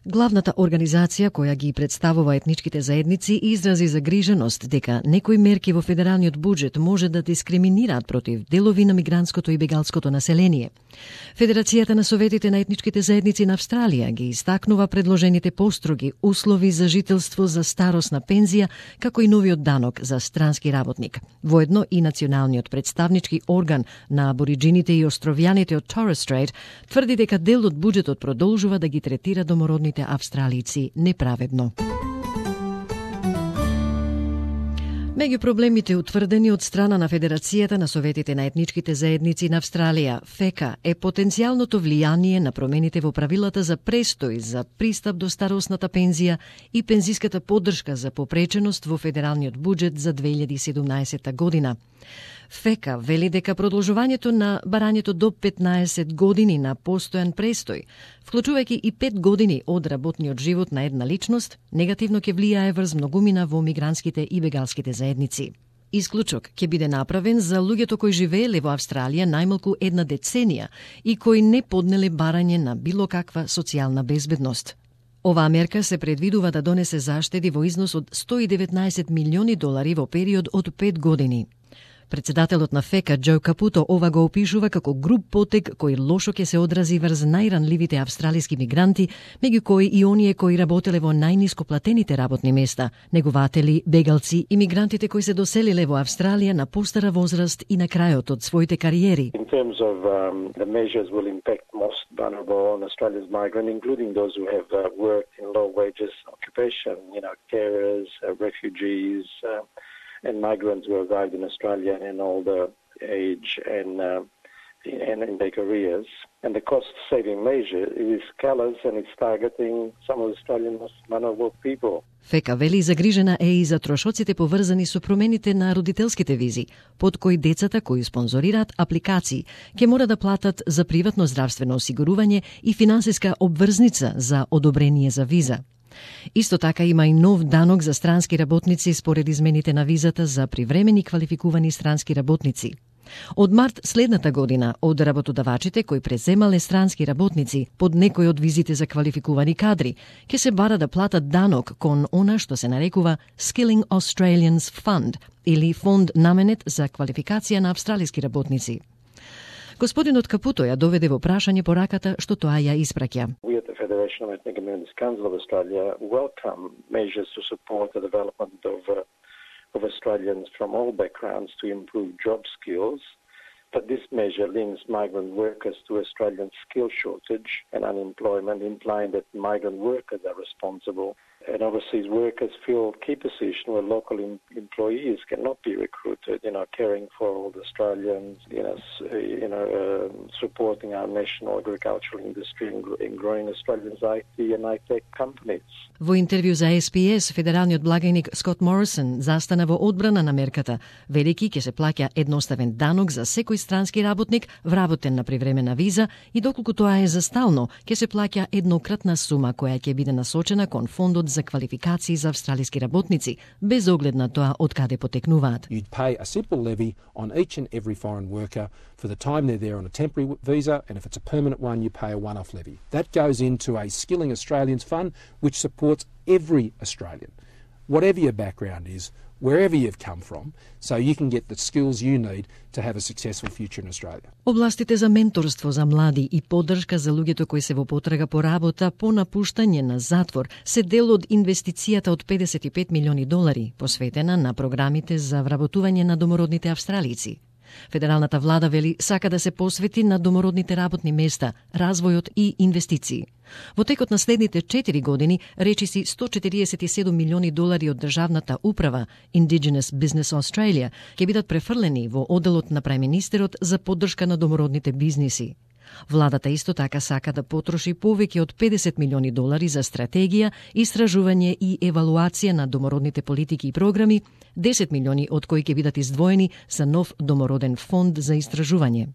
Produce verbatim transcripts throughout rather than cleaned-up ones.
Главната организација која ги представува етничките заедници изрази загриженост дека некои мерки во федералниот буџет може да дискриминираат против делови на мигрантското и бегалското население. Федерацијата на советите на етничките заедници на Австралија ги истакнува предложените построги услови за жителство за старосна пензија, како и новиот данок за странски работник. Воедно и националниот представнички орган на абориджините и островјаните од Torres Strait тврди дека дел од буџетот продолжува да ги третира домородните австралици неправедно. Меѓу проблемите утврдени од страна на Федерацијата на советите на етничките заедници на Австралија, ФЕКА, е потенцијалното влијание на промените во правилата за престој за пристап до старосната пензија и пензиската поддршка за попреченост во федералниот буџет за две илјади и седумнаесетта година. ФЕКА вели дека продолжувањето на барањето до петнаесет години на постојан престој, вклучувајќи и пет години од работниот живот на една личност, негативно ќе влијае врз многумина во мигрантските и бегалските заедници. Исклучок ќе биде направен за луѓето кои живееле во Австралија најмалку една деценија и кои не поднеле барање на било каква социјална безбедност. Оваа мерка се предвидува да донесе заштеди во износ од сто и деветнаесет милиони долари во период од пет години. Председателот на ФЕКА, Џо Капуто, ова го опишува како груб потек кој лошо ќе се одрази врз најранливите австралиски мигранти, меѓу кои и оние кои работеле во најниско платените работни места, негователи, бегалци и мигрантите кои се доселиле во Австралија на постара возраст и на крајот од своите кариери. In terms of um, the measures will impact most vulnerable on Australia's migrant, including those who have uh, worked in low wages occupation, you know, carers, uh, refugees, uh, and migrants who arrived in Australia in older age and uh, and in their careers. And the cost-saving measure is callous and it's targeting some of Australian most vulnerable people. ФЕКА вели загрижена е и за трошоците поврзани со промените на родителските визи, под кои децата кои спонзорираат апликации ќе мора да платат за приватно здравствено осигурување и финансиска обврзница за одобрение за виза. Исто така има и нов данок за странски работници според измените на визата за привремени квалификувани странски работници. Од март следната година, од работодавачите кои преземале странски работници под некој од визите за квалификувани кадри, ќе се бара да платат данок кон она што се нарекува Skilling Australians Fund или фонд наменет за квалификација на австралиски работници. Господинот Капуто ја доведе во прашање пораката што тоа ја испраќа. We at the Federation of Ethnic Communities Council of Australia welcome measures to support the development of, uh, of Australians from all backgrounds to improve job skills, but this measure links migrant workers to Australian skill shortage and unemployment, implying that migrant workers are responsible. And overseas workers fill key positions where local em employees cannot be recruited, you know, caring for all the Australians, you know, you know uh, supporting our national agricultural industry and, and growing Australians' I T and I-Tech companies. Во интервју за Ес Би Ес, федералниот благајник Скот Морисон застана во одбрана на мерката, велики ќе се плаќа едноставен данок за секој странски работник вработен на привремена виза и доколку тоа е за стално, ќе се плаќа еднократна сума која ќе биде насочена кон фондот за квалификации за австралиски работници, без оглед на тоа од каде потекнуваат. You'd pay a simple levy on each and every foreign worker for the time they're there on a temporary visa, and if it's a permanent one, you pay a one-off levy. That goes into a Skilling Australians Fund, which supports every Australian, whatever your background is, wherever you've come from, so you can get the skills you need to have a successful future in Australia. Областите за менторство за млади и поддршка за луѓето кои се во потрага по работа по напуштање на затвор се дел од инвестицијата од педесет и пет милиони долари, посветена на програмите за вработување на домородните австралици. Федералната влада вели сака да се посвети на домородните работни места, развојот и инвестиции. Во текот на следните четири години, речиси сто четириесет и седум милиони долари од државната управа Indigenous Business Australia ќе бидат префрлени во одделот на преминистерот за поддршка на домородните бизниси. Владата исто така сака да потроши повеќе од педесет милиони долари за стратегија, истражување и евалуација на домородните политики и програми, десет милиони од кои ќе бидат издвоени за нов домороден фонд за истражување.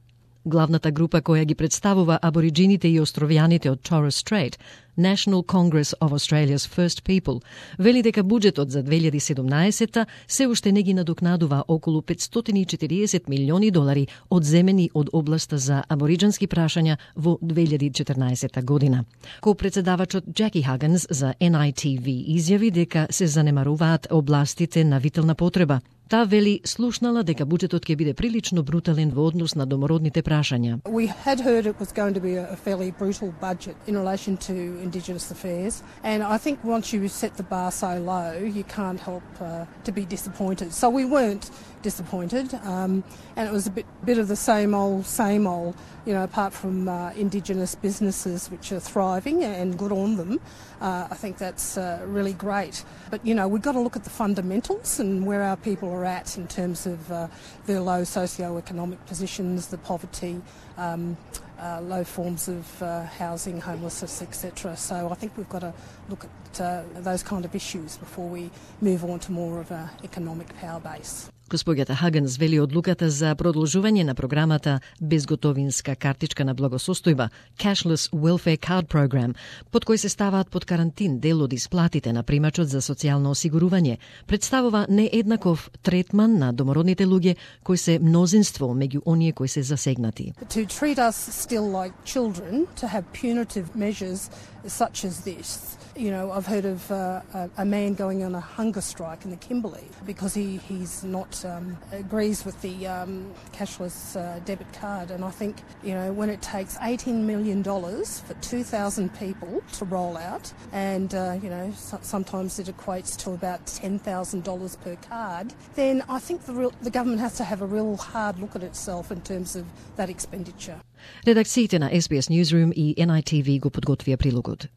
Главната група која ги представува абориджините и островјаните од Torres Strait, National Congress of Australia's First People, вели дека буџетот за две илјади и седумнаесетта се уште не ги надокнадува околу петстотини и четириесет милиони долари одземени од областа за абориџански прашања во две илјади и четрнаесетта година. Ко-председавачот Джеки Хагенс за Ен Ај Ти Ви изјави дека се занемаруваат областите на витална потреба. Таа вели слушнала дека буџетот ќе биде прилично брутален во однос на домородните прашања. We had heard it was going to be a fairly brutal budget in relation to Indigenous affairs, and I think once you set the bar so low, you can't help uh, to be disappointed. So we weren't disappointed, um, and it was a bit, bit of the same old, same old, you know, apart from uh, Indigenous businesses which are thriving and good on them. Uh, I think that's uh, really great. But, you know, we've got to look at the fundamentals and where our people are at in terms of uh, their low socio-economic positions, the poverty, um, uh, low forms of uh, housing, homelessness, et cetera. So I think we've got to look at uh, those kind of issues before we move on to more of an economic power base. Госпоѓата Хагенс вели одлуката за продолжување на програмата безготовинска картичка на благосостојба, Cashless Welfare Card Program, под кој се ставаат под карантин дел од исплатите на примачот за социјално осигурување, представува нееднаков третман на домородните луѓе кои се мнозинство меѓу оние кои се засегнати. To treat us still like children, to have punitive measures such as this. You know, I've heard of uh, a, a man going on a hunger strike in the Kimberley because he, he's not um, agrees with the um, cashless uh, debit card. And I think, you know, when it takes eighteen million dollars for two thousand people to roll out, and, uh, you know, so, sometimes it equates to about ten thousand dollars per card, then I think the, real, the government has to have a real hard look at itself in terms of that expenditure. Редакциите на Ес Би Ес Newsroom и Ен Ај Ти Ви го подготвија прилогот.